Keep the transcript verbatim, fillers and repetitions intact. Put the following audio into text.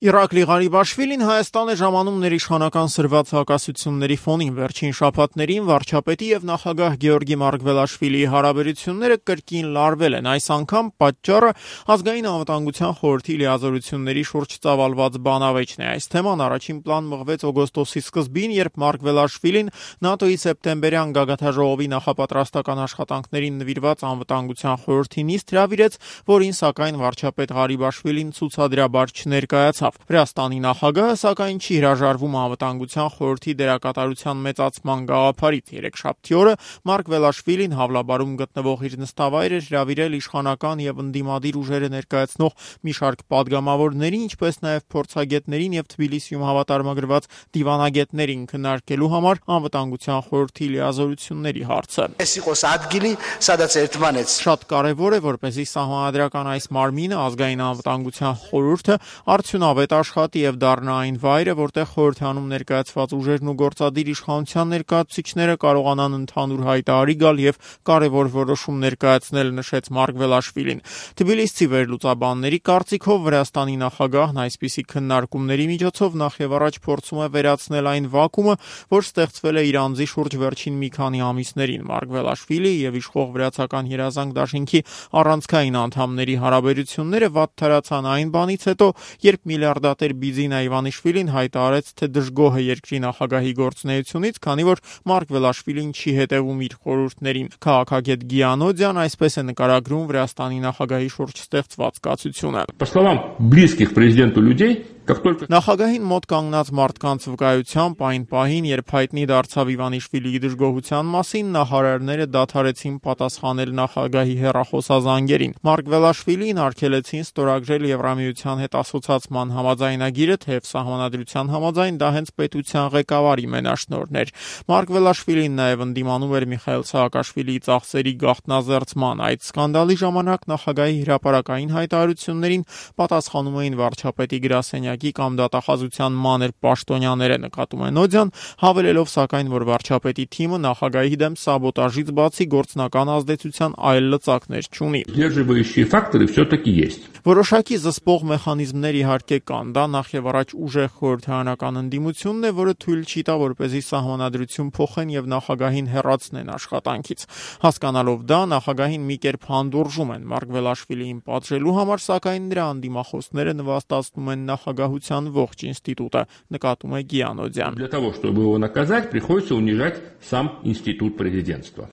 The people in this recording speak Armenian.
Իրակլի Ղարիբաշվիլին Հայաստան է ժամանում ներիշխանական սրված հակասությունների ֆոնին։ Վերջին շաբաթներին վարչապետի եւ նախագահ Գեորգի Մարգվելաշվիլիի հարաբերությունները կրկին լարվել են։ Այս անգամ պատճառը ազգային անվտանգության խորհրդի լիազորությունների շուրջ ծավալված բանավեճն է։ Այս թեման առաջին պլան մղվեց օգոստոսի սկզբին, երբ Մարգվելաշվիլին ՆԱՏՕ-ի սեպտեմբերյան գագաթաժողովի նախապատրաստական աշխատանքներին նվիրված անվտանգության խորհրդի նիստ հրավիրեց, որին սակայն վարչապետ Ղարիբաշվիլին ցուցադրաբար չներկայացավ։ Վրաստանի նախագահը սակայն չի հրաժարվում անվտանգության խորհրդի դերակատարության մեծացման գաղափարից։ Երեքշաբթի օրը Մարգվելաշվիլին Հավլաբարում գտնվող իր նստավայր էր հրավիրել իշխանական եւ ընդդիմադիր ուժերը ներկայացնող մի շարք падգամավորների, ինչպես նաեւ փորձագետներին եւ Թբիլիսիում հավատարմագրված դիվանագետներին քննարկելու համար անվտանգության խորհրդի լիազորությունների հարցը։ Շատ կարեւոր է, որպեսզի սահմանադրական այս մարմինը, ազգային անվտանգության խորհուրդը, արդյունավետ աշխատի եւ դառնա այն վայրը, որտեղ խորհրդանում ներկայացված ուժերն ու գործադիր իշխանության ներկայացուցիչները կարողանան ընդհանուր հայտարարի գալ եւ կարեւոր որոշում ներկայացնել, նշեց Մարգվելաշվիլին։ Թբիլիսցի վերլուծաբանների կարծիքով Վրաստանի նախագահն այսպիսի քննարկումների միջոցով նախ եւ առաջ փորձում է վերացնել այն վակումը, որ ստեղծվել է իր անձի շուրջ վերջին մի քանի ամիսներին։ Մարգվելաշվիլի եւ իշխող վրացական երազանք դաշինքի առանցքային անդամների հարաբերությունները վատթարացան այն բանից հետո, երբ միլիարդատեր Բիձինա Իվանիշվիլին հայտարարեց, թե դժգոհ է երկրի նախագահի գործունեությունից, քանի որ Մարգվելաշվիլին չի հետևում իր խորհուրդներին։ Քաղաքագետ Գիանոդյան այսպես է նկարագրում Վրաստանի նախագահի շուրջ ստեղծված կացությունը։ По словам близких президенту людей, Նախագահին մոտ կանգնած մարդկանց վկայությամբ այն պահին, երբ հայտնի դարձավ Իվանիշվիլիի դժգոհության մասին, նախարարները դադարեցին պատասխանել նախագահի հեռախոսազանգերին։ Մարգվելաշվիլին արգելեցին ստորագրել Եվրամիության հետ ասոցիացման համաձայնագիրը, թեև սահմանադրության համաձայն դա հենց պետության ղեկավարի մենաշնորհն էր։ Մարգվելաշվիլին նաև ընդդիմանում էր Միխայիլ Սահակաշվիլիի ծախսերի գաղտնազերծման։ Այդ սկանդալի ժամանակ նախագահի հրապարակային հայտարարություններին պատասխանում էին վարչապետի գրասենյակի կամ դատախազության մանր պաշտոնյաները, նկատում է Նոդյան, հավելելով սակայն, որ վարչապետի թիմը նախագահի դեմ սաբոտաժից բացի գործնական ազդեցության այլ լծակներ չունի։ Сдерживающие факторы все-таки есть. Որոշակի զսպող մեխանիզմներ իհարկե կան, դա նախ եւ առաջ ուժեղ խորհրդարանական ընդդիմությունն է, որը թույլ չի տա, որպեսզի սահմանադրություն փոխեն եւ նախագահին հեռացնեն աշխատանքից։ Հասկանալով դա, նախագահին մի կերպ հանդուրժում են Մարգվելաշվիլիին պատժելու համար, сакայն նրա անդիմախոսները նվաստացնում են նախագահության ողջ ինստիտուտը, նկատում է Գիանոդյան։ Для того, чтобы его наказать, приходится унижать сам институт президентства.